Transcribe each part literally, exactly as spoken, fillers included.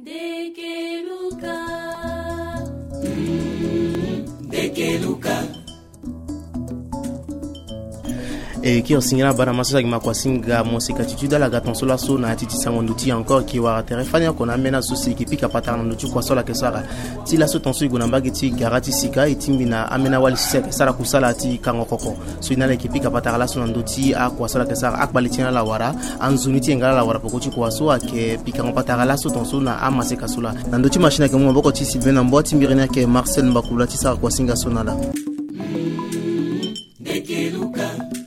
Dekeluka. Dekeluka. E kiri singila bana maso so ayeke ma kua singa mo sika ti tude ala ga ton so laso na ya ti ti sango ndo ti e encore, e ke wara tere fani oko na ambeni aso si e ke pika patara na ndo ti kua so ala yeke sara. Ti laso ton so e gue na mbage ti gara ti sika, e tingbi na ambeni awali so si ayeke sara kusala ti kango koko. So e na ala e ke pika patara laso na ndo ti akua so ala yeke sara, akpale ti e na ala wara, anzoni ti e nga ala wara peko ti kua so ayeke pikango patara laso ton so na amaseka so laa. Na ndo ti machine ayeke mu maboko ti Sylvain na mbo, ti mbiri ni ayeke Marcel Mbakula ti sara kua singa so na ala.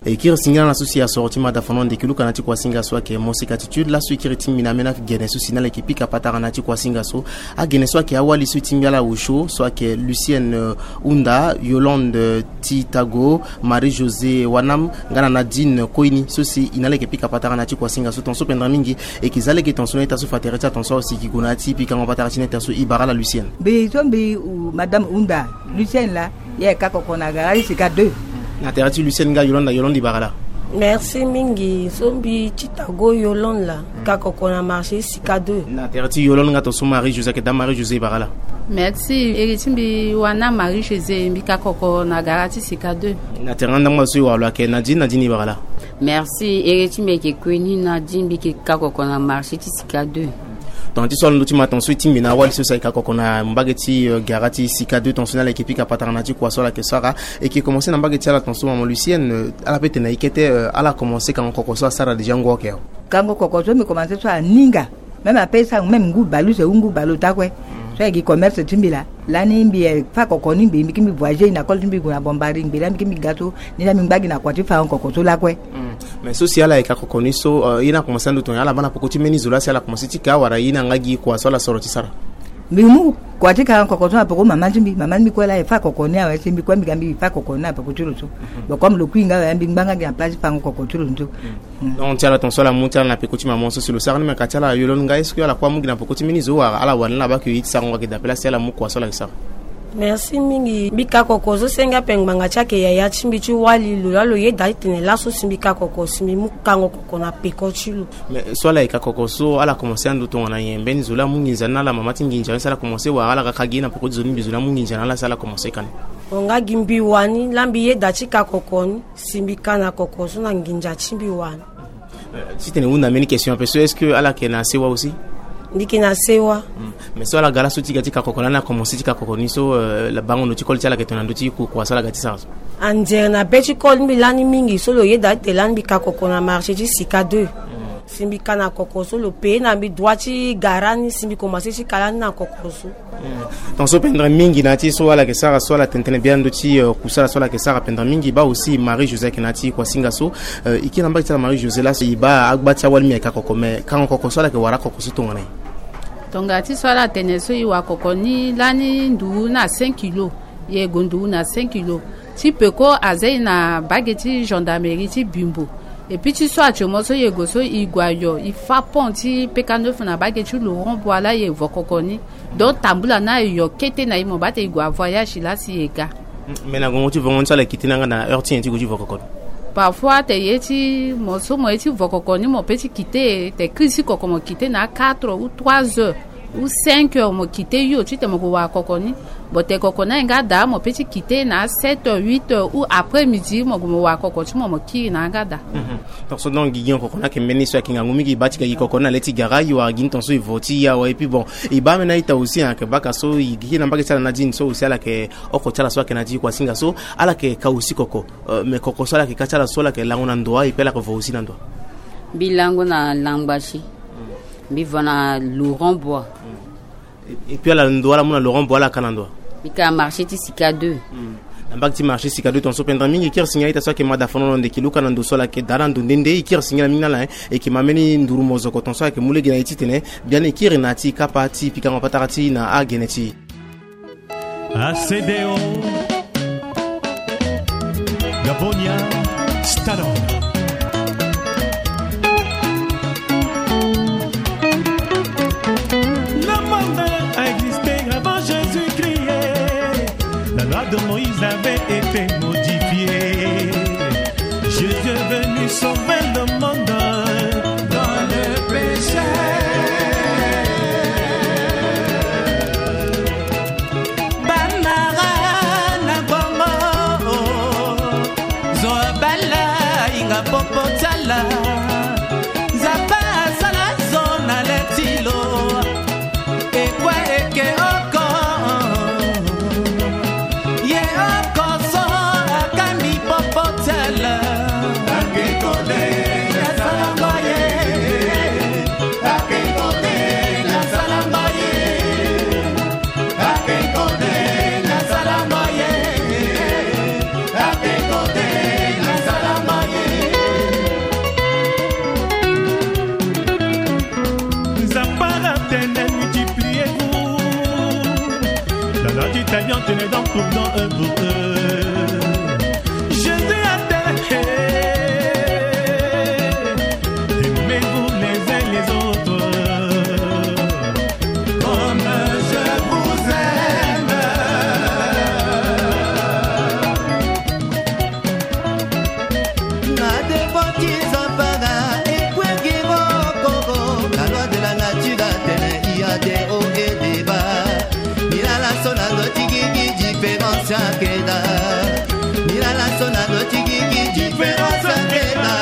E kiri singila na so si asoro ti mada fano Ndekeluka na ti kua singa so ayeke mo sika ti tude laso e kiri tingbi na ambeni agene so si na ala e ke pika patara na ti kua singa so. Agene so ayeke awali so e tingbi ala osio so ayeke Lucienne, euh, Hunda, Yolande, euh, Titago, Marie José Wanam, nga na Nadine Koini so si e na ala e ke pika patara na ti kua singa so. Ton so pendere mingi e ke za lege ton so na ita so fa tere ti ala ton so awe si e ke gue na ya ti pikango patara ti na ita so. E bara ala Lucienne. Mbi so mbi, uh, madame Hunda, Lucienne laa, e ka koko na gara ti sika deux. Na tere ti Lucienne nga Yolande, Yolande e bara ala. Merci mingi. So mbi Titago Yolande laa, ka koko na marché sika deux. Na tere ti Yolande nga ton so Marie José, ayeke dame Marie José, e bara ala. Merci. Ere ti mbi wana Marie José, mbi ka koko na gara ti sika deux. Na tere nga ndambo so e wara lo ayeke Nadine, Nadine e bara ala. Merci. Ere ti mbi ayeke Koini Nadine, mbi yeke ka koko na marché ti sika deux. Tongana ti so ala ndo ti ma ton so e tingbi na awali so si ayeke ka koko na mbage ti, euh, gara ti sika deux ton so na ala e ke pika patara na ti kua so ala yeke sara. E ke komanse na mbage ti ala ton so mama Lucienne, euh, ala pe tene na e kete, euh, ala komanse kango koko so asara déjà ngu oke awe. Kango koko so mbi komanse so aninga. Même ape sango même ngu baleuse ou ngu baleota kue. So ayeke gi commerce ti mbi laa. Lani mbi, eh, fa koko ni mbi, mbi ke mbi voyager na kol ti mbi gue na Bombari, mbi laa mbi ke mbi ga so ni laa mbi ngba gi na kua ti fango koko so lakue. Mm. Mais so si ala yeke ka koko ni so, euh, ye ni akomanse ando tongana ala baa na peko ti mbeni zo laa si ala komanse ti ka wala ye ni anga gi kua so ala soro ti sara? Mbi mu kua ti ka koko so na peko mama ti mbi, mama ti mbi kue laa e fa koko ni awe si mbi kue mbi ga mbi fa koko ni na peko ti lo so. Mhm. Bon, comme lo kui nga awe mbi ngba nga gi na place ti fango koko ti lo ni so. Mm. Donc ti ala ton so ala mu ti ala na peko ti mama so si lo sara ni, me ka ti ala Yolande nga, est-ce que ala kue amu gi na peko ti mbeni zo wala ala wani ala baa ke ye ti sarango ayeke dape laa si ala mu kua so ala yeke sara? Merci mingi. Mbi ka koko so senge ape ngbanga ti ayeke yaya ti mbi ti wali lo laa lo yeda ti tene laso si mbi ka koko si mbi mu kango koko na peko ti lo. Mais so ala yeke ka koko so ala komanse ando tongana nyen? Mbeni zo laa amu nginza ni na ala, mama ti nginza ni si ala komanse wala ala ga ka gi na peko ti zo ni mbi zo ni amu nginza na ala si ala komanse ka ni? Mo nga gi mbi wani laa mbi yeda ti ka koko ni. Si mbi ka na koko so na nginza ti mbi wani. Euh, titene hunda mbeni question ape so, est-ce que ala yeke na sewa aussi? Mbi yeke na sewa. Mm. Mais so ala ga laso ti ga ti ka koko lani akomanse ti ka koko ni so, euh, la bango ndo ti koli ti ala yeke tongana ndo ti ku kua so ala ga ti sara so? Anzere na be ti koli mbi lani mingi so lo yeda ti tene lani mbi ka koko na marché ti sika deux. Mm. Si mbi ka na koko so lo peye na mbi droit ti gara ni si mbi komanse ti ka lani na koko so. Ton so pendere mingi na ya ti so ala yeke sara so ala tene tënë biani ndo ti, euh, kusala so ala yeke sara pendere mingi. Baa aussi Marie José ayeke na ya ti kuasinga so. Euh, e kiri na mbage ti ala Marie José laso e baa agba ti awali mbi ayeke akoko me kango koko so ala yeke wara akoko so tongana nyen? Tongana ti so ala tene so e wara koko ni lani nduru na cinq kilo. E gue nduru na cinq kilo. Ti peko aza e na mbage ti gendarmerie ti Bimbo. Et puis ti so atio mo so e gue so e gue ayo e fa pont ti peka neuf na mbage ti Laurent Bois laa e vo koko ni. Donc tambula na ayo kete na e mo baa tene e gue avoyage laa si e ga. Mm, mais na gongo ti vongo ni so ala kite ni anga na heure ti nyen ti gue ti vo koko ni? Parfois tene ye ti mo so mo ye ti vo koko ni mo pe ti kite tene kiri ti koko mo kite na quatre ou trois heures ou cinq heures mo kite hio titene mo gue wara koko ni. Bon tene koko ni ayeke nga daa mo pe ti kite na sept heures huit heures ou après midi mo gue mo wara koko ti mo mo kiri na yanga daa. Mhm. Tonso donc gigi koko ni ayeke mbeni so ayeke ngangu mingi e baa ti ga gi koko ni na le ti gara e wara gi ni tonso e vo ti e awe. Et puis bon e baa ambeni a-ita aussi ayeke baka so e gi na mbage ti ala na dini so aussi ala yeke oko ti ala so ayeke na dini kuasinga so ala yeke ka aussi koko. Euh, mais koko so ala yeke ka ti ala so ala yeke lango na ndo wa et puis ala yeke vo aussi na ndo wa? Mbi lango na Langbasi. Mbi vo na Laurent Bois. Et puis ala ndo ala mu na Laurent Bois ala ka na ndo wa? Mbi ka marché ti Sika deux. Hmm. Na mbage ti marché Sika deux tonso pendere mingi e kiri singila a-ita so ayeke mada fono na ndo e ke luka na ndo so ala yeke daa na ndo nde nde e kiri singila mingi na ala, hein. E ke ma mbeni nduru mozoko tonso ala yeke mu lege na e titene biani e kiri na ya ti kapa ti pikango patara ti e na agene ti e. A C D O, Gabonia, Stano. Le monde a existé avant Jésus-Christ. La loi de Moïse avait été modifiée. Jésus est venu sauver le monde dans le péché. Je les donne pour don, eux pour eux. Jésus a dit, aimez-vous les uns les autres comme je vous aime. Na devoti zampara ekwegiro koko. La loi de la nature atene il y a des hauts et des bas. Milala so na loti gigi différence akeda. Milala so na loti gigi différence akeda.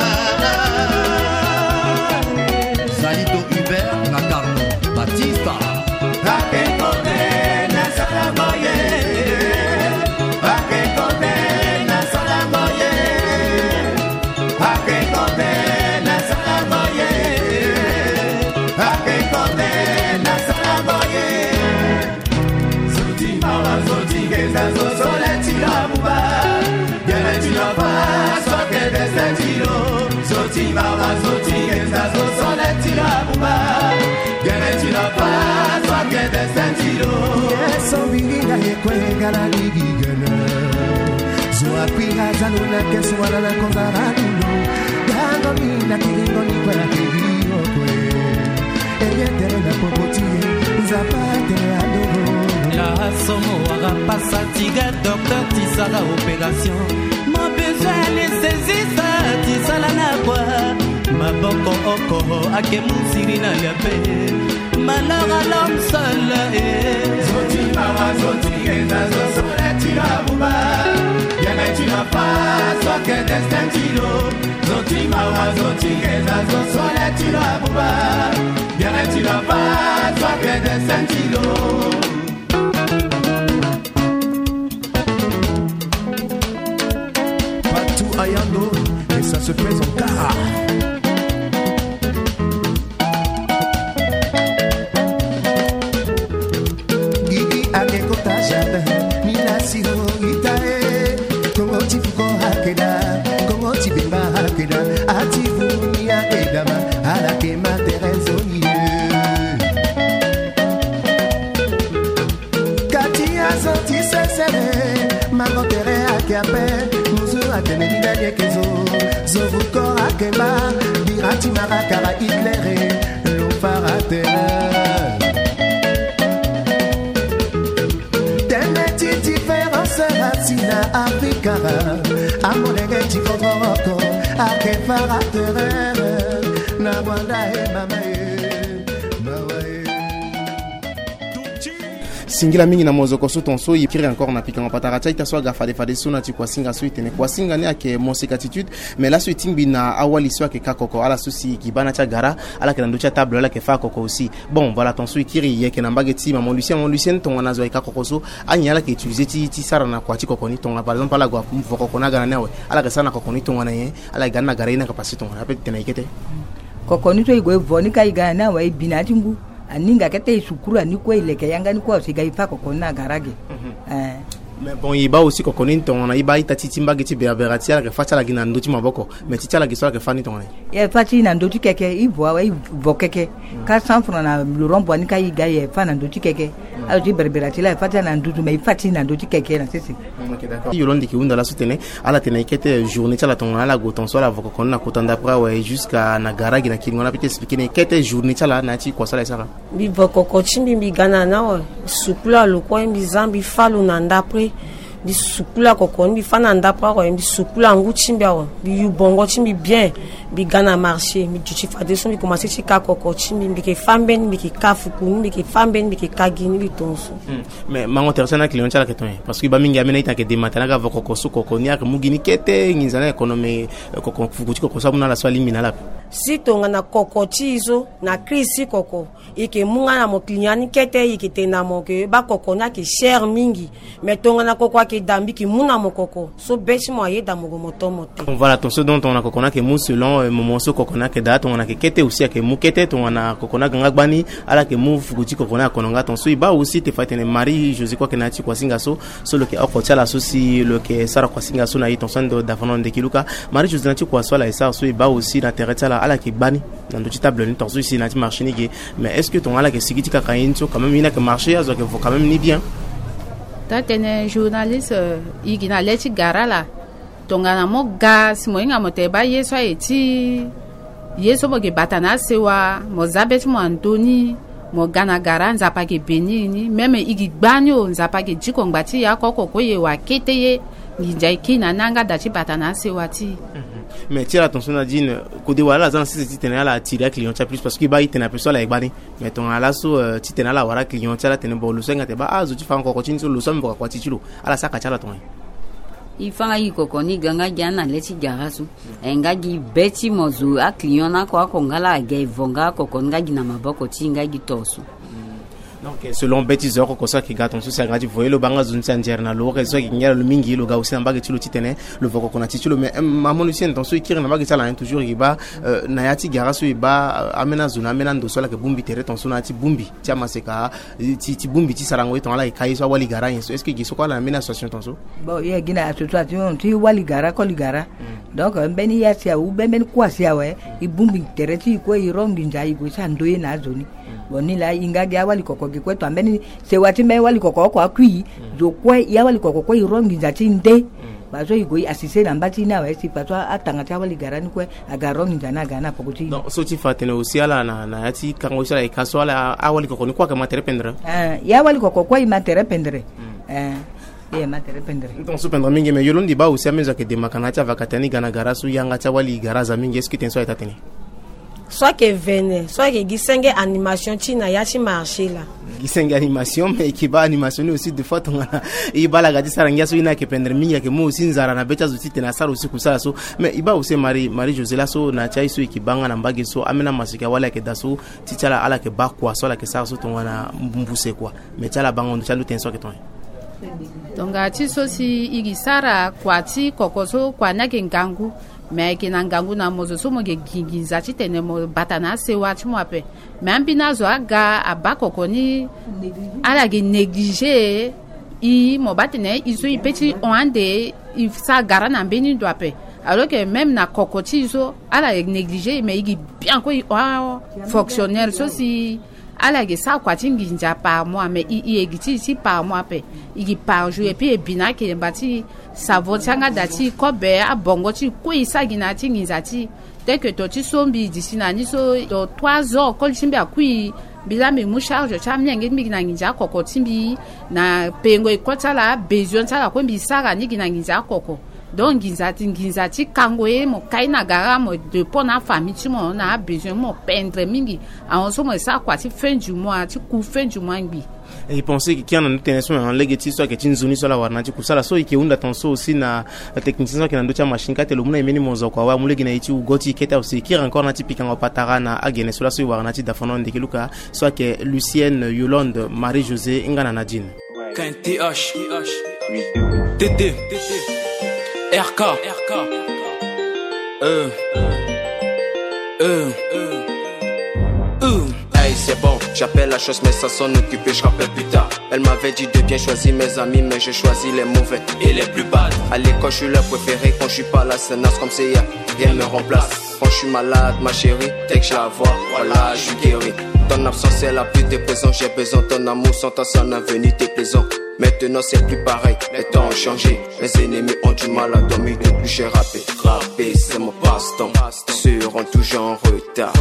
Salito Hubert na Carlo Batista. Akekote na sala moye. Akekote na sala moye. Akekote na sala moye. Akekote na sala moye. Zoti mawa, zoti ngenza, zo sole ti la buba. Gere ti la fa, so ke dese ti lo. Zoti mawa, zoti ngenza, zo sole ti la buba. Gere ti la fa, so ke dese ti lo. Yeso bilinga ye kwe gala ligi gene. Zo akwira zalo na keso wala na konza la dulo. Gango mi na kiringo ni kwe na kiri okwe. Eye tere na poko ti ye, nzapa tere adogo. La somo wara pasa tiga docteur ti sara opération. Mon besoin anestésiste ti sala na kwa. Maboko oko ake musiri na lia pe. Malheur à l'homme seul, eh. Zoti mawa, zoti ngenza, zo sole ti la buba. Yene ti la fa, so ke destin ti lo. Zoti mawa, zoti ngenza, zo sole ti la buba. Yene ti la fa, so ke destin ti lo. Patou Ayando, et ça se présente tard. Gigi ake kota jardin, mina siro ita e. Kongo ti fuko ake da, Kongo ti bemba ake da, ati vuni ake dama, ala ke ma tere nzoni e. Kati azo ti sesere, mango tere ake ape, muzu atene ni na yeke zo, zo vuko ake ma, bira ti mara kara Hitler e, lo fara tere. Tene ti différence asi na Afrika, amolenge ti kokoroko, ake fara tere, na Rwanda e mama e, mawa e. Singila mingi na mozoko so ton so e kiri encore na pikango patara ti a-ita so aga fade fade so na ti kuasinga so e tene kuasinga ni ayeke moseka attitude. Mais laso e tingbi na awali so ayeke ka koko, ala so si e gi baa na ti agara, ala yeke na ndö ti atable, ala yeke fâ koko aussi. Bon, voilà, ton so e kiri, e yeke na mbage ti maman Lucien. Maman Lucien, tongana zo ayeke ka koko so, anyen ala yeke utiliser ti, ti sara na kua ti koko ni? Tongana par exemple ala gue avo koko ni aga na ni awe, ala yeke sara na koko ni tongana nyen? Ala yeke ga ni na gara ye ni ayeke pase tongana ape ti tene ayeke kete. Koko ni so e gue vo ni ka e ga na ni awe, e bi na ya ti ngu. Aninga kete e sukuru ani kue, e leke yanga ni kue, si e ga e fâ koko ni na gara ge. Eh. Mais bon, e baa aussi koko ni tongana e baa a-ita ti, ti mbage ti berabera ti ala yeke fâ ti ala gi na ndö ti maboko. Mais ti, ti ala gi so ala yeke fâ ni tongana nyen? E fâ ti e na ndö ti keke, e vo awe, e vo keke. Ka cent francs na lo rond-point ni ka e ga e fâ na ndö ti keke. Ala ti berabera ti la e fâ ti ala na nduzu, mais e fâ ti e na ndö ti keke na sese. Mm, ok, d'accord. Yolande yeke hunda laso tene, ala tene kete journée ti ala tongana ala gue ton so ala vo koko ni na kota ndapre awe jusqu'à na gara gi na kiringo ni, ape ti expliquer ni kete journée ti ala na ya ti kua so ala e sara. Mbi vo koko ti mbi, mbi ga na ni awe, mbi sukula lo kue, mbi za, mbi fâ lo na ndapre. Mbi sukula koko ni, mbi fâ na ndapre awe, mbi sukula ngu ti mbi awe, mbi yu bongo ti mbi bien. Mbi ga na marché, mbi duti fadeso, mbi komanse ti ka koko ti mbi, mbi yeke fâ mbeni, mbi yeke ka fuku ni, mbi yeke fâ mbeni, mbi yeke ka gi ni, mbi tongaso. Hmm. Mais mango tere ti ala na client ti ala ayeke ton nyen? Parce que e baa mingi ambeni a-ita ayeke demata ni aga vo koko so, koko ni ayeke mu gi ni kete nginza ni ayeke kono, mais, eh, koko, fuku ti koko so amu na ala so alingbi na ala ape. Si tongana koko ti e so na crise ti koko, e yeke mu nga na mo client ni kete, e yeke tene na mo ke baa koko ni ayeke cher mingi. Mais tongana koko ayeke daa, mbi yeke mu na mo koko so be ti mo ayeda mo gue mo to mo te. Voilà, ton so donc tongana koko ni ayeke mu selon, euh, moment so koko ni ayeke daa, tongana ayeke kete aussi ayeke mu kete, tongana koko ni aga nga gbani, ala yeke mu fuku ti koko ni akono nga. Ton so e baa aussi te fa e tene Marie Josée kue ayeke na ya ti kuasinga so, so lo yeke oko ti ala so si lo yeke sara kuasinga so na e, ton so ande dafano ndeki luka. Marie Josée, na ti kua so ala e sara so, e baa aussi na tere ti ala, ala yeke gbani na ndö ti table ni, ton so e si na ya ti marché ni ge. Mais est-ce que tongana ala yeke sigi ti kaka ye ni so, quand même ye ni ayeke marché, azo ayeke vo quand même ni bien? Taa-tënë journaliste, i gi na le ti gara laa. Tongana mo ga si mo hinga mo tene baa ye so aye ti ye so mo gi bata na asewa, mo za be ti mo na ndö ni, mo ga na gara, Nzapa ayeke beni ni. Même i gi gbani o, Nzapa ayeke diko ngba ti e oko oko kue, e wa kete ye. Nginza e kiri na ni anga da ti bata na asewa ti e. Mais ti ala tonso Nadine, kode wala ala za na sese titene ala attire aclient ti ala plus, parce que e baa e tene ape so ala ye gbani. Mais tongana laso, euh, titene ala wara client ti ala atene bon, lo so ahinga tene baa azo ti fa koko ti ni so, lo so ambi vo ka kua ti ti lo, ala saka ti ala tongana nyen? E fa nga gi koko ni, ga nga gi ana le ti gara so. E nga gi be ti mo zo aclient na oko oko nga laa aga e vo nga koko ni nga gi na maboko ti e nga gi to so. Donc, euh, selon be ti zo oko oko so ayeke ga tonso, si aga ti vo ye, lo baa nga zo ni si anzere na lo, oko so ayeke ngia na lo mingi, lo ga aussi na mbage ti lo titene lo vo koko na ti ti lo. Mais, euh, ma mono si tonso e kiri na mbage ti ala, hein, toujours e baa, euh, na ya ti gara so e baa, euh, ambeni azo na ambeni ando so ala yeke bongbi tere tonso na ya ti bongbi ti amaseka, ti, ti bongbi ti sarango ye tongana ala yeke ka ye so awali gara nyen so. Est-ce que e gi so kue ala na mbeni association tonso? Bon, e gi na association ti wali gara, koli gara. Donc, euh, mbeni ya si awu, mbeni kua si awe, e bongbi tere ti e kue, e ro nginza e gue sara ndoye na azo ni. Bon, ni laa e nga gi awali koko gi kue, to ambeni sewa ti mbeni wali koko oko akui. Zo kue, e awali koko kue e ro nginza ti e nde. Baa so e gue e assiste na mba ti e ni awe, si baa so atanga ti awali gara ni kue aga ro nginza ni aga na poko ti e. Donc, so ti fa atene aussi ala na, na ya ti kango so ala yeke ka so, ala awali koko ni kue ayeke ma tere pendere? Eh, e awali koko kue e ma tere pendere. Eh, e ma tere pendere. Donc, so pendere mingi, mais yo londo e baa aussi amenzo ayeke demaka na ya ti avakata ni ga na gara so, yanga ti awali gara aza mingi, est-ce que tene so ayeke taa-tënë? So ayeke vene, so ayeke gi senge animation ti e na ya ti marché laa. Gi senge animation, mais e yeke baa animation ni aussi des fois tongana e baa ala ga ti sara ngia so, e ni ayeke pendere mingi, ayeke mu aussi nzara na be ti azo titene asara aussi kusala so. Mais e baa aussi Marie, Marie José, laso na ya ti aye so e yeke baa nga na mbage so, ambeni amaseka wali ayeke daa so, ti ti ala, ala yeke baa kua so ala yeke sara so tongana mbuse kua. Mais ti ala bango ndo ti ando tënë so ayeke tongana nyen? Tongana ti so si e gi sara kua ti koko so, kua ni ayeke ngangu. Mais ayeke na ngangu na mo zo so mo yeke gi nginza titene mo bata na asewa ti mo ape. Mais ambeni azo aga abaa koko ni, ala yeke négligé e, mo baa tene e so e pe ti hon ande, e sara gara na mbeni ndo ape. Alors que même na koko ti e so ala yeke négligé e, mais e gi bien kue e hon fonctionnaire so si ala yeke sara kua ti nginza par mois, mais e, e yeke gi ti e ti par mois ape. E gi par jour, et puis e bi na akelemba ti e, savon ti yanga da ti e, kobe, abongo ti e kue e sara gi na ya ti nginza ti e. Tel que to ti so mbi e di si na ni so, to trois heures koli ti mbi akui, mbi laa mbi mu charge ti amienge ti mbi gi na nginza akoko ti mbi, na pengo école ti ala, besoin ti ala kue mbi sara ni gi na nginza akoko. Donc nginza ti, nginza ti kango ye, mo kai na gara, mo dépend na afamille ti mo na abesoin, mo pendere mingi. Ahon so mo sara kua ti fin du mois, ti ku fin du mois ngbi. E pense que kiri na ndo tënë so na lege ti so ayeke ti nzoni so ala wara na ya ti kusala so. E yeke hunda tonso aussi na technicien so ayeke na ndö ti amachine, kate lo mu na e mbeni monzoko awe, amu lege na e ti wugo ti e kete aussi. E kiri encore na ya ti pikango patara na agene so laso e wara na ya ti dafano ndeke luka, so ayeke Lucienne, Yolande, Marie José nga na Nadine. K N T H, T T, R K, euh, euh, euh. Hey, c'est bon, j'appelle la chose, mais ça s'en occuper, je rappelle plus tard. Elle m'avait dit de bien choisir mes amis, mais je choisis les mauvais et les plus bad. À l'école, je suis leur préféré, quand je suis pas là, c'est naze comme c'est hier. Rien ne me remplace. Quand je suis malade, ma chérie, dès que je la vois, voilà, je suis guéri. Ton absence est la pluie des présents, j'ai besoin de ton amour, sans toi, ça n'a venu déplaisant. Maintenant, c'est plus pareil, les temps ont changé. Mes ennemis ont du mal à dormir depuis que j'ai rappé. Rapper, c'est mon passe-temps. Seront toujours en retard,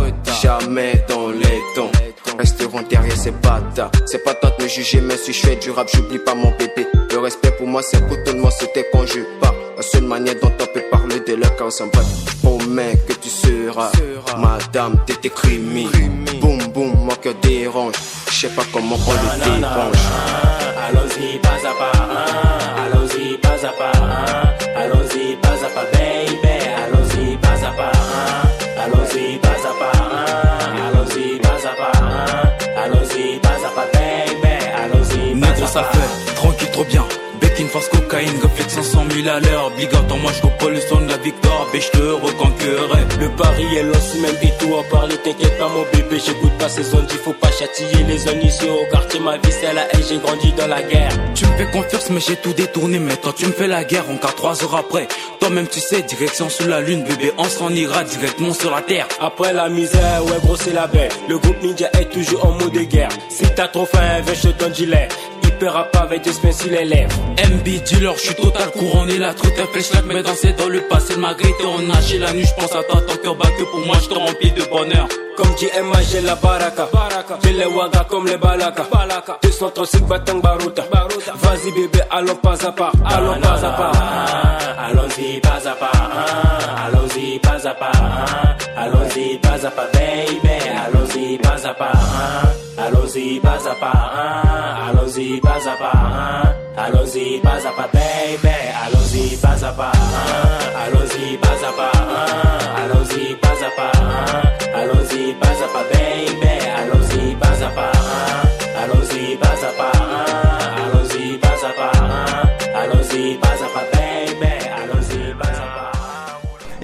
jamais dans les temps. Resteront derrière ces bâtards. C'est pas toi de me juger, mais si je fais du rap, j'oublie pas mon bébé. Le respect pour moi, c'est pour tout le monde, c'était quand je pars. La seule manière dont on peut parler de leur cas, on s'en bat. Promets que tu seras ma dame, t'étais crimi. Boum boum, mon cœur dérange. Je sais pas comment on le dérange. Allons-y, pas à pas, hein. Allons-y, pas à pas, hein. Allons-y, pas à pas, baby. Allons-y, pas à pas, hein. Allons-y, pas à pas, hein. Allons-y, pas à pas, hein. Allons-y, pas à pas, baby. Allons-y, pas à pas. Négro, ça fait tranquille, trop bien. Bec, une face, cocaïne, réflexion cent mille à l'heure. Big up, moi je colle le son de la victoire, bitch, je te reconquérir. Le pari est lancé, même et tout en parler. T'inquiète pas, mon bébé, j'écoute pas ces zones. Il faut pas châtier les zones ici au quartier. Ma vie, c'est la haine, j'ai grandi dans la guerre. Tu me fais confiance, mais j'ai tout détourné. Maintenant, tu me fais la guerre, encore trois heures après. Toi-même, tu sais, direction sous la lune, bébé, on s'en ira directement sur la terre. Après la misère, ouais, gros, c'est la belle. Le groupe Ninja est toujours en mode de guerre. Si t'as trop faim, viens, je te donne du lait. Ils Peur à pas avec des spins sur les lèvres. M B dealer, je suis total couronné, la truite, un flashback, mais dansé dans le passé, malgré t'es en nager la nuit, je pense à toi, ton cœur bat que pour moi, je te remplis de bonheur. Comme dit M A G la baraka, baraka. Belle waga comme les balaka, balaka. Deux cent trente-six batang baruta, baruta. Vas-y bébé, allons pas à pas, allons pas à pas. Allons-y pas à pas, hein. Allons-y pas à pas, hein. Allons-y pas à pas, baby. Allons-y pas à pas, hein. Allons-y pas à pas, hein. Allons-y pas à pas, hein. Allons-y pas à pas, baby. Allons-y pas à pas, hein. Allons-y pas à pas, hein. Allons-y pas à pas, hein. Allons-y pas à pas, baby. Allons-y pas à pas, hein. Allons-y pas à pas, hein. Allons-y pas à pas, hein. Allons-y pas à pas, baby. Allons-y pas à pas, hein.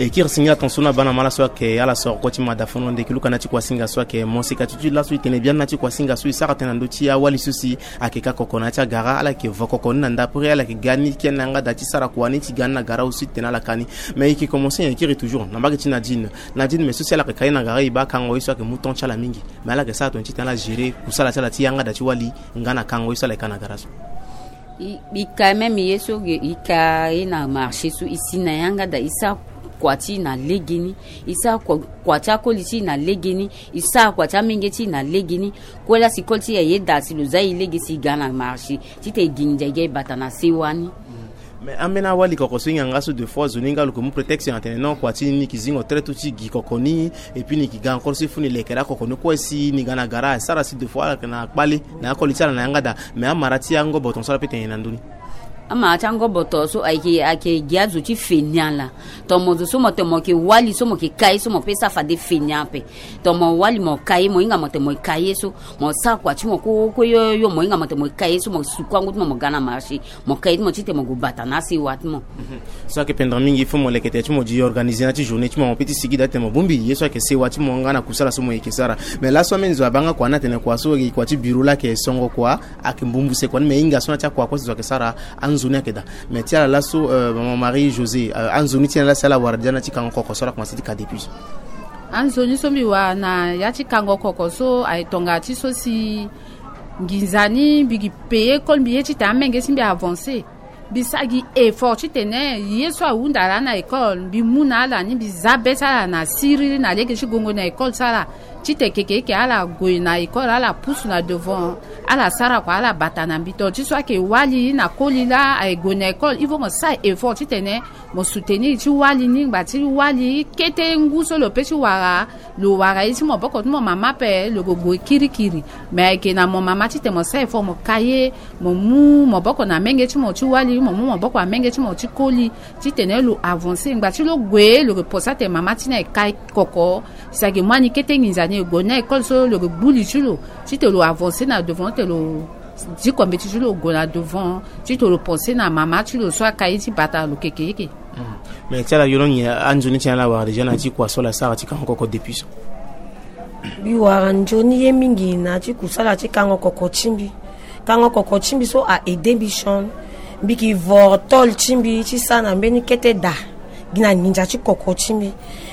E kiri singa ton so na bana mala so ayeke ala soro kue ti mada fono ndeki luka na ti kuasinga so ayeke mo sika ti ti laso e tene biani na ti kuasinga so e sara tënë na ndö ti awali so si ayeke ka koko na ya ti agara, ala yeke vo koko ni na ndapre, ala yeke ga ni kia na yanga da ti sara kua ni ti ga ni na gara aussi ti tene ala ka ni. Mais e yeke commencer nyen e kiri toujours na mbage ti Nadine. Nadine, mais so si ala yeke ka ye na gara e baa kango ye so ayeke mu temps ti ala mingi. Mais ala yeke sara tongana ti tene ala gérer kusala ti ala ti yanga da ti wali nga na kango ye so ala yeke ka na gara so. E, e ka même ye so ge, e ka ye na marché so e si na yanga da e sara kua ti e na legeni. E sara kua, kua ti akoli ti e na legeni. E sara kua ti amenge ti e na legeni. Kue laa si koli ti e aye daa si lo za e lege si e ga na marché titene e gi nginza e ga e bata na sewa ni. Mais ambeni awali koko so e hinga nga so deux fois zo ni nga lo yeke mu prétexte na tene non kua ti e ni yeke zingo très tôt ti gi koko ni. Et puis ni yeke ga encore so e fu ni lekere akoko ni kue si ni ga na gara asara si deux fois ala yeke na kpale na akoli ti ala na yanga daa. Mais amara ti angobo ton so ala pe tene na ndö ni. Amara ti angobo ton so ayeke, ayeke gi azo ti feni ala. Tongana mo zo so mo tene mo yeke wali so mo yeke ka ye so mo pe sara fade feni ape. Tongana mo wali mo ka ye mo hinga mo tene mo yeke ka ye so mo sara kua ti mo kue yo yo mo hinga mo tene mo yeke ka ye so mo suku angu ti mo mo ga na marché. Mo ka ye ti mo titene mo gue bata na asewa ti mo. So ayeke pendere mingi il faut mo leke tene ti mo di organiser na ti journée ti mo mo pe ti sigi daa titene mo bongbi ye so ayeke sewa ti mo nga na kusala so mo yeke sara. Mais laso ambeni zo abaa nga kua ni atene kua so e kua ti bureau laa ayeke songo kua. Ayeke mbumbuse kua ni mais e hinga so na ti akua kue si zo ayeke sara. Anzoni ayeke daa. Mais ti ala laso, euh, maman Marie José, euh, anzoni ti ala si ala wara déjà na ti kango koko so ala komanse ti ka depuis so. Anzoni so mbi wara na ya ti kango koko so aye tonga ti so si nginza ni mbi gi payer école mbi ye titene amenge ti mbi avancer. Mbi sara gi effort titene ye so ahunda laa na école mbi mu na ala ni mbi za be ti ala na siriri na lege ti gongo na école ti ala. Titene keke eke ala gue na école ala pusu na devant ala sara kua ala bata na mbi to ti so ayeke wali na koli laa aye gue na école il faut mo sara effort titene mo soutenir ti wali ni ngba ti wali kete ngu so lo pe ti wara. Lo wara ye ti maboko ti mo mama ape lo gue gue kirikiri. Mais ayeke na mo mama titene mo sara effort mo ka ye mo mu maboko na menge ti mo ti wali mo mu maboko na menge ti mo ti koli titene lo avancer ngba ti lo gue lo gue posa tene mama ti ni aye ka koko. Si ayeke mu ani kete nginza ni e gue na école so lo gue gbu li ti lo titene lo avancer na devant titene lo diko mbeti ti lo gue na devant titene lo pense na mama ti lo so aka ye ti bata lo keke yeke. Mais ti ala yolongi anzoni ti ala wara déjà na ti kua so ala sara ti kango koko depuis so. Mbi wara nzoni ye mingi na ti kusala ti kango koko ti mbi. Kango koko ti mbi so a aide mbi sioni. Mbi ki voro tole ti mbi ti sara na mbeni kete daa gi na nginza ti koko ti mbi.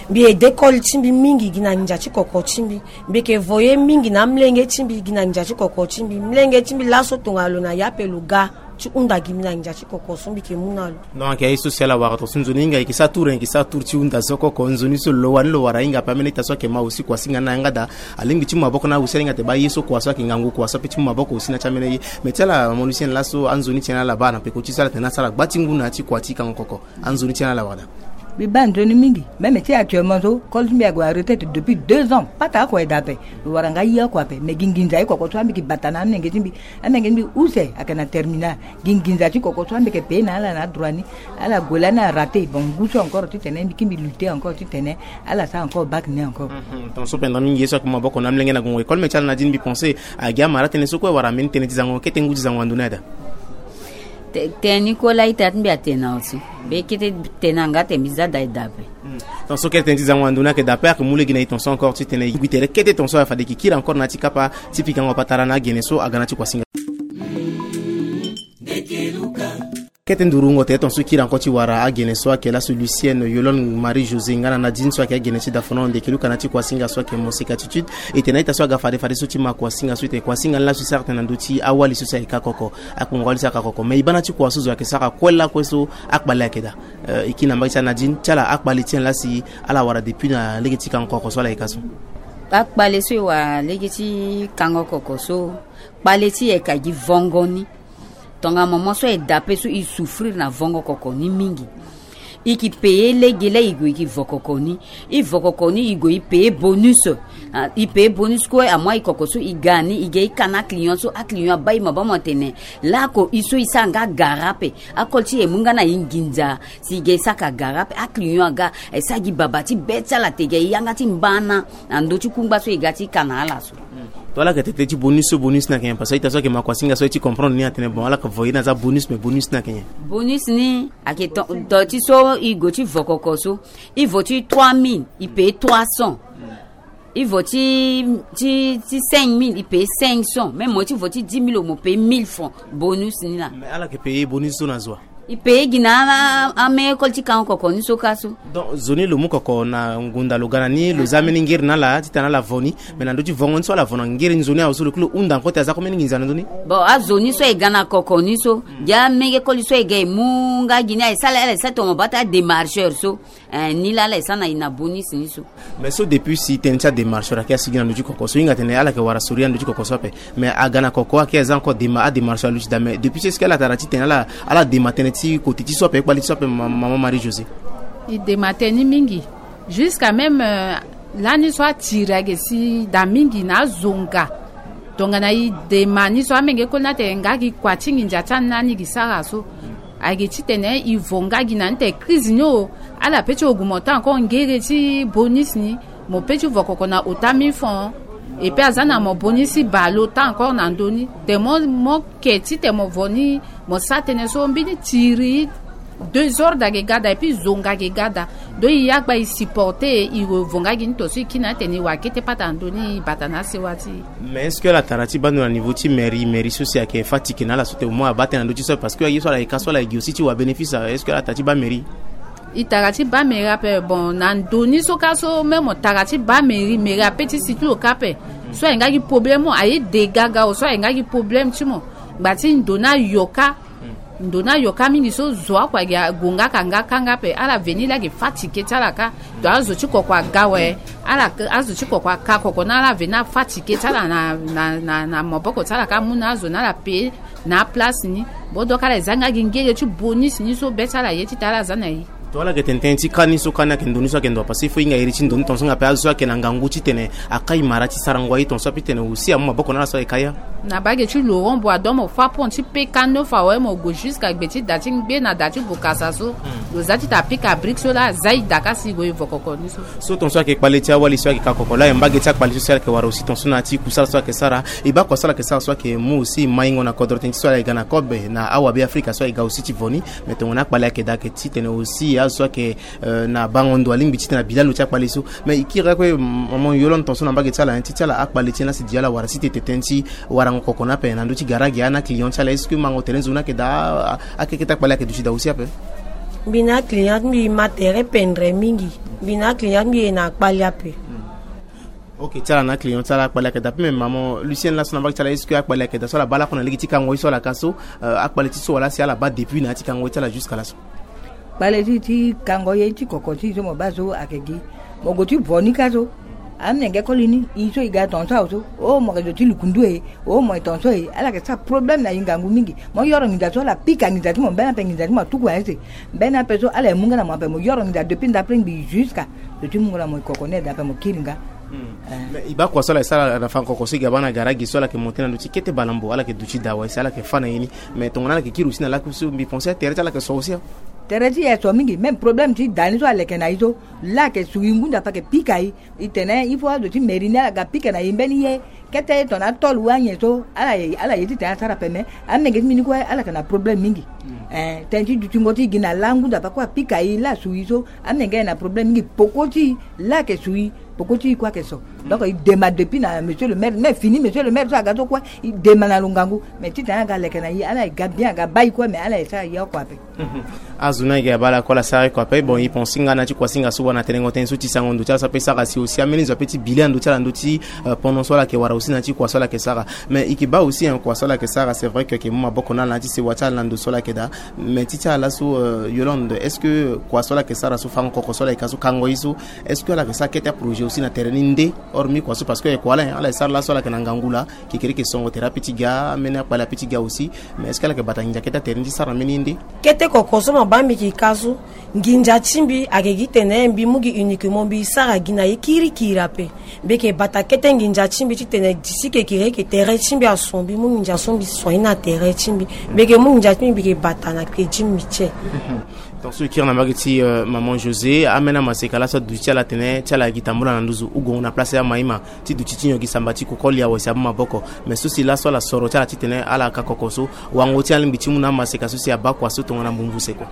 Mbi aide koli ti mbi mingi gi na nginza ti koko ti mbi. Mbi yeke vo ye mingi na amolenge ti mbi gi na nginza ti koko ti mbi. Molenge ti mbi laso tongana lo na ya ape lo ga ti hunda gi mbi na nginza ti koko so mbi yeke mu na lo. Donc ayeke ye so si ala wara tongaso nzoni hinga e yeke sara tour e yeke sara tour ti hunda so koko nzoni so lo wani lo wara hinga ape ameni ita so ayeke ma aussi kua singa na yanga daa. Alingbi ti mu maboko na awe si ahinga ate baa ye so kua so ayeke ngangu kua so ape ti mu maboko aussi na ti ameni ye. Mais ti ala mo lusiene laso anzoni ti en ala baa na peko ti so ala tene asara gba ti ngu na ya ti kua ti kango koko. Anzoni ti en ala wara daa. Mbi baa nzoni mingi. Même ti actuellement so koli ti mbi ague na retraite depuis deux ans pata oko aye daa ape. Lo wara nga ye oko ape mais gi nginza ye koko so ambi ki bata na amenge ti mbi. Amenge ti mbi use ayeke na terminal. Gi nginza ti koko so ambi yeke paye na ala na adroit ni. Ala gue lani arate bon ngu so encore titene mbi ki mbi lutter encore titene ala sara encore bac ni encore. Tongaso pendere mingi ye so ayeke mu maboko na amolenge na gongo école mais ti ala na di ni mbi pense. Agi amara tënë so kue wala ambeni tënë ti zango kete ngu ti zango na ndoni aye daa. Tënë ni kue laa ita ti mbi atene na oso. Be kete tënë anga tene mbi za daa e daa ape. Tongaso kete tënë ti zango na ndoni ayeke daa ape ayeke mu lege na e tongaso encore titene e gui tere kete tongaso aye fade e yeke kiri encore na ya ti kapa ti pikango patara na agene so aga na ti kuasinga. Kete nduru wungo tene ton so kiri encore ti wara agene so ayeke laso Lucienne, Yolande, Marie José nga na Nadine so ayeke agene ti dafono ndeke luka na ti kuasinga so ayeke moseka attitude. E tene a-ita so aga fade fade so ti ma kuasinga so e tene kuasinga ni laso e sara tene na ndö ti awali so si ayeke ka koko, akpongo wali so ayeke ka koko. Me e baa na ti kua so zo ayeke sara kue lakue so akpale ayeke daa. Eh, e kiri na mbage ti a-Nadine ti ala akpale ti en lasi ala wara depuis na lege ti kango koko so ala yeke ka so. Akpale so e wara lege ti kango koko so, kpale ti e ayeke gi vongo ni. Tongana moment so e dape so e souffrir na vongo koko ni mingi. E ke payer lege la e gue e ke vo koko ni. E vo koko ni e gue e payer bonus. Ah, e payer bonus kue amois e koko so e ga ni e ga e ka na aclient so aclient abaa e ma baa mo tene. Lako e so e sara nga gara ape. Akol ti e mu nga na e nginza. Si e ga e saka gara ape aclient aga. E sara gi baba ti be ti ala te ga e yanga ti mbana. Na ndö ti kungba so e ga ti ka na ala so. To ala yeke tete ti bonus so bonus ni ayeke nyen? Parce que a-ita so ayeke ma kuasinga so aye ti comprendre ni atene bon ala yeke vo ye na aza bonus, mais bonus ni ayeke nyen? Bonus ni ayeke to, to ti so e gue ti vo koko so. E vo ti trois mille e payer trois cents. E vo ti, ti, ti cinq mille e payer cinq cents. Même mo ti vo ti dix mille mo payer mille francs. Bonus ni laa. Mais ala yeke payer bonus so na zo wa? E payer gi na a, a, amere école ti kango koko ni so kâ so. Donc zo ni lo mu koko na ngunda lo ga na ni lo za mbeni ngiri na ala titene ala vo ni. Mais na ndö ti vongo ni so ala vo na ngiri nzoni awe so lo kiri lo hunda encore ti aza kue mbeni nginza na ndö ni. Bon azo ni so e ga na koko ni so, gi amege koli so e ga e mu nga gi ni aye sala ala e sara tomo baa ti adémarcheur so. Eh, ni laa ala e sara na e na bonus ni so. Mais so depuis si tënë ti adémarcheur ayeke asigi na ndö ti koko so e hinga tene ala yeke wara soria na ndö ti koko so ape. Mais aga na koko ayeke aza encore dema adémarcheur aluti daa mais depuis so est-ce que ala tara titene ala, ala dema tënë ti koti ti so ape e kpali ti so ape ma, mama Marie José? E dema tënë ni mingi. Jusqu'à même, euh, lani so atiri ayeke si daa mingi na azonga. Tongana e dema ni so amenge koli ni atene nga gi kua ti nginza ti ani lani gi sara so. Ayeke titene e vo nga gi na ni tene crise ni o. Ala pe ti augmenter encore ngere ti bonus ni. Mo pe ti vo koko na ota mille francs. E pe aza na mo bonus ti bale ota encore na ndö ni. Tene mo, mo ke titene mo vo ni. Mo sara tënë so mbeni tiri. Désordre ayeke ga daa et puis zonga ayeke ga daa. Donc e ya gba e supporter e vo nga gi ni to so e kiri na ni tene e wara kete pata na ndö ni e bata na asewa ti e. Mais est-ce que ala tara ti baa ndo na niveau ti mairie, mairie so si ayeke fatigué na ala so tene au moins abaa tënë na ndö ti so ape parce que aye so ala yeke ka so ala yeke gi aussi ti wara bénéfice awe, est-ce que ala tara ti baa mairie? E tara ti baa mairie ape. Bon na ndo ni so kâ so même mo tara ti baa mairie, mairie ape ti si ti lo kâ ape. So aye nga gi problème o aye de gaga o so aye nga gi problème ti mo. Ngba ti ndo ni ayo kâ. Ndo ni ayo kâ mingi so zo akua gi agonga ka nga kanga ape ala veni laa gi fatigué ti ala kâ. Donc azo ti koko aga awe. Ala azo ti koko aka koko ni ala veni afatigué ti ala na, na, na, na maboko ti ala kâ amu na azo ni ala pe na aplace ni. Bon donc ala e za nga gi ngere ti bonus ni so be ti ala ye ti tene ala za na e. To ala yeke tene tënë ti kâ ni so kâ ni ayeke ndo ni so ayeke ndo parce que il faut e hinga iri ti ndo ni tongaso nga ape azo so ayeke na ngangu titene akai mara ti sarango aye tongaso ape titene aussi amu maboko na ala so ayeke ka ya. Na bage ti Laurent Boisdon mo fâ pont ti P K neuf awe mo gue jusqu'à gbe ti da ti ngbe na da ti bokasa so. Lo za ti ta pika brique so laa aza e da kâ si e gue e vo koko ni so. So tongaso ayeke kpale ti awali so ayeke ka koko laa e mbage ti akpale so si ala yeke wara aussi tongaso na ya ti kusala so ayeke sara. E baa kua so ala yeke sara so ayeke mu aussi maingo na kodro tënë ti so ala yeke ga na kobe na awabe afrika so ayeke ga aussi ti vo ni. Mais tongana akpale ayeke daa ayeke titene aussi azo so ayeke, euh, na bango ndo alingbi titene abi lalo ti akpale so. Mais e kiri akue maman Yolande tongaso na mbage ti ala nyen ti ti ala akpale ti nyen laa si di ala wara si tete tënë ti warango koko ni ape na ndö ti gara gi ana client ti ala est-ce que mango tere nzoni ayeke daa? Akeke ti akpale ayeke duti daa aussi ape. Mbi na aclient ti mbi ma tere pendre mingi. Mbi na aclient ti mbi e na akpale ape. Ok ti ala na aclient ti ala akpale ayeke daa ape mais maman Lucienne laso na mbage ti ala est-ce que akpale ayeke daa so ala baa lakue na lege ti kango ye so ala ka so? Euh, akpale ti so wala si ala baa depuis na ya ti kango ye ti ala jusqu'à laso? Kpale ti ti kango ye ti koko ti so mo baa so ayeke gi. Mo gue ti vo ni kâ so. Amenge koli ni e so e ga tongaso awe so o mo yeke zo ti lukundu e. O mo e tongaso e ala yeke sara problème na e ngangu mingi. Mo yoro nginza so ala pika nginza ti mo mbeni ape nginza ti mo atuku aye si. Mbeni ape so ala ye mu nga na mo ape mo yoro nginza depuis ndapre ngbii jusqu'à zo ti mungo na mo e koko ni e daa ape mo kiri nga. Mais e baa kua so ala ye sara na fa koko so e ga baa na gara gi so ala yeke monte na ndö ti kete balambo ala yeke duti daa awe si ala yeke fâ na ye ni. Mais tongana ala yeke kiri aussi na lakui so mbi pense atere ti ala yeke so aussi. Tere ti e so mingi même problème ti da ni so aleke na e so. Laa ayeke sui ngu nda pe ayeke pika e. E tene il faut azo ti mairie ni ala ga pika na e mbeni ye. Kete tongana atol wa anyen so ala ye ala ye titene asara ape mais amenge ti mbi ni kue ala yeke na problème mingi. Eh, tënë ti dutingo ti e gi na langu nda pe kue apika e laa asui so. Amenge ayeke na problème mingi poko ti e laa ayeke sui. Poko ti e kue ayeke so. Donc e dema depuis na monsieur le maire, mais fini monsieur le maire so aga so kue, e dema na lo ngangu. Mais titene aga leke na e, ala e ga bien, aga baa e kue, mais ala e sara e oko ape. Azo ni ayeke abaa ala kue, ala sara e oko ape. Bon, e pense nga na ti kuasinga so wara na tenengo tënë so ti sango ndo ti ala so ape sara si aussi ambeni zo ape ti bi le na ndö ti ala na ndö ti, euh, pendant so ala yeke wara aussi na ti kua so ala yeke sara. Mais e yeke baa aussi, hein, kua so ala yeke sara, c'est vrai que e yeke mu maboko na ala na ti sewa ti ala na ndo so ala yeke daa. Mais ti ti ala so, euh, Yolande, est-ce que kua so ala yeke sara so, fango koko so ala yeke ka so, kango ye so, est-ce que ala yeke sara kete aprojet aussi na tere ni nde, hormis kua so, parce que e kua ala, hein, ala e sara laso ala yeke na ngangu laa, kekereke songo tere ape ti ga, ambeni akpale ape ti ga aussi. Mais est-ce que ala yeke bata nginza kete atere ni ti sara na mbeni ye nde? Kete koko so mo baa mbi yeke ka so, nginza ti mbi ayeke gi tene mbi mu gi uniquement mbi sara gi na ye kirikiri ape. Mbi yeke bata kete nginza ti mbi titene disi kekereke tere ti mbi aso, mbi mu nginza so mbi soigner na tere ti mbi. Mbi yeke mu nginza ti mbi, mbi yeke bata na gbe ti mbi ti e. Donc so e kiri na mbage ti, euh, maman José, ambeni amaseka laso aduti ti ala atene ti ala gi tambula na nduzu, ugongo na place ya maima, ti duti ti nyon gi samba ti koko lia wese amu maboko. Mais so si laso ala soro ti ala titene ala ka koko so, wango ti alingbi ti mu na amaseka so si abaa kua so tongana mbumbu se kua?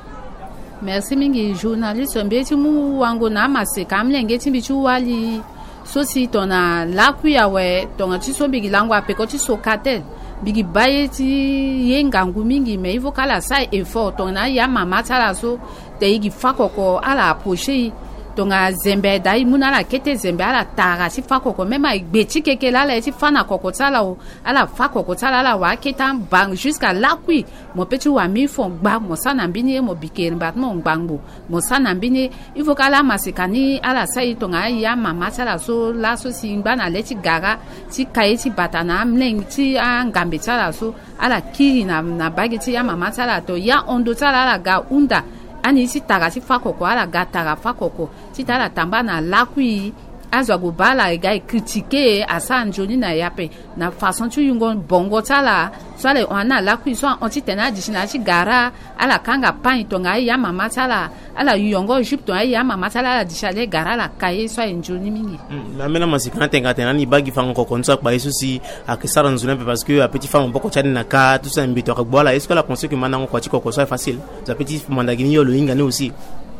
Merci mingi journaliste. Mbi ye ti mu wango na amaseka amolenge ti mbi ti wali so si tongana lakui awe, tongana ti so mbi gi lango apeko ti Socatel, mbi gi baa ye ti ye ngangu mingi, mais il faut ka ala sara effort tongana aye amama ti ala so, te e gi fa koko ala approcher e. Tongana zembe daa e mu na ala kete zembe, ala tara ti fa koko, même aye gbe ti keke laa ala ye ti fa na koko ti ala o, ala fa koko ti ala, ala wara akete amba jusqu'à lakui. Mo pe ti wara mille francs gba, mo sara na mbeni ye, mo bikiri mba ti mo ngbangbo, mo sara na mbeni ye. Il faut ka ala amaseka ni ala sara e tongana aye amama ti ala so laso si ngba na le ti gara ti ka ye ti bata na amolenge ti angambe ti ala so, ala kiri na, na mbage ti amama ti ala to ya hondo ti ala, ala ga hunda. Ani ti tara ti fa koko, ala ga tara fa koko titene ala tambula na lakui. Azo ague baa ala, e ga e critiquer, asara nzoni na e ape. Na façon ti yungo bongo ti ala so ala e hon ani na lakui so ahon titene adisi na ya ti gara, ala kanga pagne tongana aye amama ti ala, ala yongo jupe tongana aye amama ti ala, ala disi ale gara, ala ka ye so aye nzoni mingi. Hmm, mais ambeni amaseka ni atene ka tene ani baa gi fango koko ni so akpa ye so si ayeke sara nzoni ape, parce que ape ti fa maboko ti ani na ka tout ça, mbeto ayeke gbu ala. Est-ce que ala pense que mandango kua ti koko so aye facile? Zo ape ti manda gi ni, yo lo hinga ni aussi.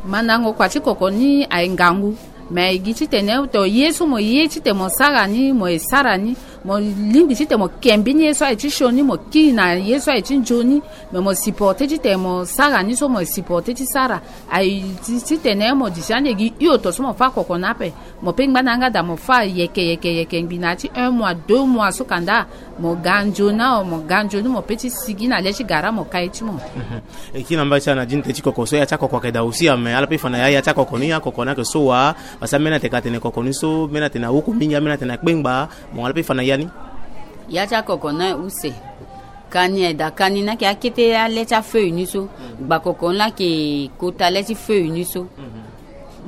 Mandango kua ti koko ni aye ngangu. Mais e gi titene to ye so mo ye titene mo sara ni, mo e sara ni. Mo lingbi titene mo ke mbeni ye so aye ti sioni, mo kiri na ye so aye ti nzoni. Mais mo supporter titene mo sara ni so, mo supporter ti sara. Aye ti, titene mo disi ande gi hio to so mo fa koko ni ape. Mo pe ngba na yanga daa, mo fa yeke yeke yeke ngbi na ya ti un mois, deux mois so kanda. Mo ga nzoni awe, mo ga nzoni, mo pe ti sigi na le ti gara, mo ka ye ti mo. Mhm. E kiri na mbage ti ala na dini te ti koko so, ya ti akoko ayeke daa aussi awe, mais ala pe fa na ya, ya ti akoko ni, akoko ni ayeke so wa? Parce que ambeni atene ka tene koko ni so, ambeni atene awoko mingi, ambeni atene akpengba. Bon, ala pe fa na ya ni? Ya ti akoko ni aye use. Kani aye daa, kani ni ayeke akete ale ti afeuille ni so. Gba koko ni la ayeke kota le ti feuille ni so. Mhm.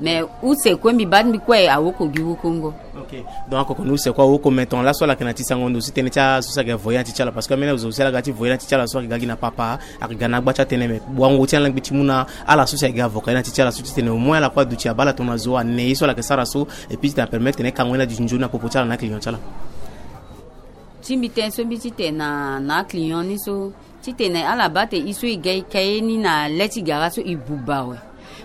Mais use kue mbi baa ti mbi kue awoko gi wokongo. Ok. Donc akoko ni use kue awoko, mais tongana laso ala yeke na ti sango ndo si tënë ti aso si ayeke voyer na ti ti ala, parce que ambeni azo si ala ga ti voyer na ti ti ala so ayeke ga gi na papa, ayeke ga na agba ti atënë, mais wango ti ala lingbi ti mu na ala so si ayeke ga avocat ye na ti ti ala so titene au moins ala kue aduti abaa ala tongana zo ane ye so ala yeke sara so, et puis titene apermettre titene e kango ye ni aduti nzoni na popo ti ala na aclient ti ala. Ti mbi tënë so mbi ti tene na, na aclient ni so, titene ala baa tene e so e ga e ka ye ni na le ti gara so e buba awe.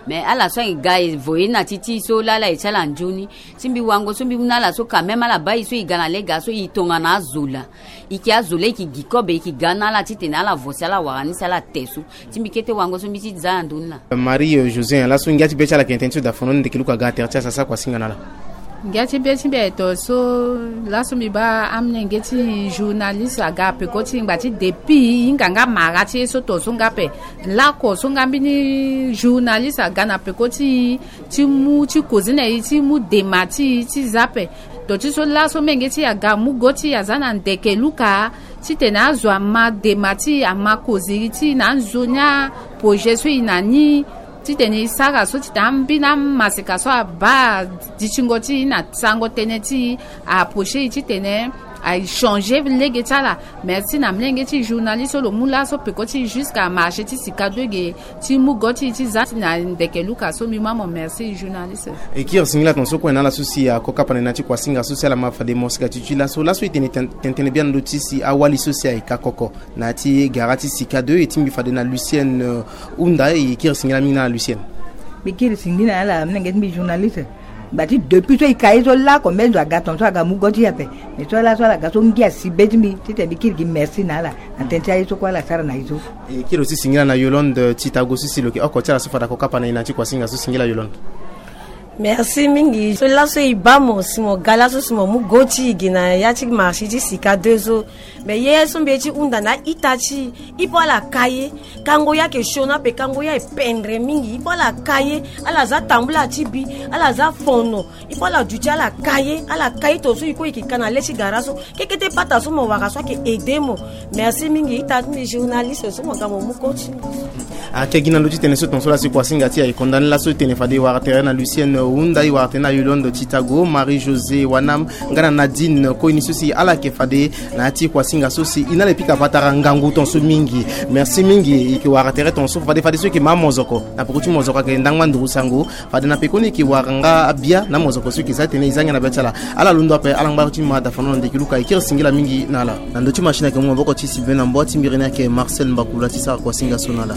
Mais ala so ayeke ga e voyer na ti ti e so laa ala ye ti ala nzoni. Ti mbi wango so mbi mu na ala so quand même ala baa e so e ga na le gara so e tongana azo laa. E yeke azo laa e yeke gi kobe, e yeke ga na ala titene ala vo si ala wara ni si ala te so. Ti mbi kete wango so mbi ti za na ndö ni laa. Marie, euh, José, laso ngia ti be ti ala ayeke tënë ti so daa fono ni, ndeke luku aga na tere ti ala, sasa kuasinga na ala. Ngia ti be ti mbi aye to so, laso mbi baa amolenge ti journaliste aga peko ti ngba ti depuis e hinga nga mara ti ye so to so nga ape. Lako so nga mbeni journaliste aga na peko ti e, ti mu ti koze na e, ti mu dema ti e ti za ape. To ti so laso menge ti e aga mu go ti e aza na ndeke luka, titene azo ama dema ti e, ama koziri ti e na anzoni aprojet so e na ni, titene e sara so titene ambeni amaseka so abaa ditingo ti e na sango tënë ti e, a approcher e titene a changer lege ti ala. Merci na molenge ti journaliste so lo mu laso peko ti e jusqu'à marché ti Sika deux ge, ti mu go ti e ti za na ndeke luka so. Mbi mu amo merci journaliste. E kiri singila tongaso kue na ala so si ako kapa na e na ti kuasinga so si ala ma fade mosika ti ti laso. Laso e tene ten-, tene tënë biani ndo ti si awali so si ayeke akoko na ya ti gara ti Sika deux, e ti mbi fade na Lucienne, euh, Hunda, e kiri singila mingi na ala Lucienne. Mbi kiri singila na ala molenge ti mbi journaliste. Ngba ti depuis so e ka ye so lako mbe nzo aga ton so aga mu go ti e ape. Mais so laso ala ga so ngia si be ti mbi titene mbi kiri gi merci na ala na tënë ti aye so kue ala sara na e so. E kiri aussi singila na Yolande Titago so si lo yeke oko ti ala so fade ako kapa na e na ya ti kuasinga so, singila Yolande. Merci mingi so laso e baa mo si mo ga laso si mo mu go ti e gi na ya ti marché ti sika deux so. Mais ye so mbi ye ti hunda na a-ita ti e, e po ala ka ye. Kango ye ayeke sioni ape, kango ye aye pendre mingi. E po ala ka ye, ala za tambula ti bi, ala za fono. E po ala duti ala ka ye, ala ka ye tongaso e kue e yeke ka na le ti gara so. Keke ti pata so mo wara so ayeke aide mo. Merci mingi ita ti mbi journaliste so mo ga mo mu go ti mbi. Ayeke gi na ndö ti tene so tongaso laa si kuasinga ti e aye konda ni laso e tene fade e wara tere na Lucienne Hunda, e wara tere na Yolande Titago, Marie José Wanam, nga na Nadine Koini so si ala yeke fade na ya ti kuasinga so si e na ala e pika patara ngangu tongaso mingi. Merci mingi. E yeke wara tere tongaso fade fade so e yeke ma amozoko na peko ti mozoko ayeke ndangba nduru sango. Fade na pekoni e yeke wara nga abia na mozoko so e yeke za tene e za ngia na be ti ala. Ala londo ape, ala ngba ti ma dafano na ndeki luka. E kiri singila mingi na ala. Na ndö ti machine ayeke mu maboko ti Sylvain na mboa ti mbiri ni ayeke Marcel Mbakula ti sara kuasinga so na ala.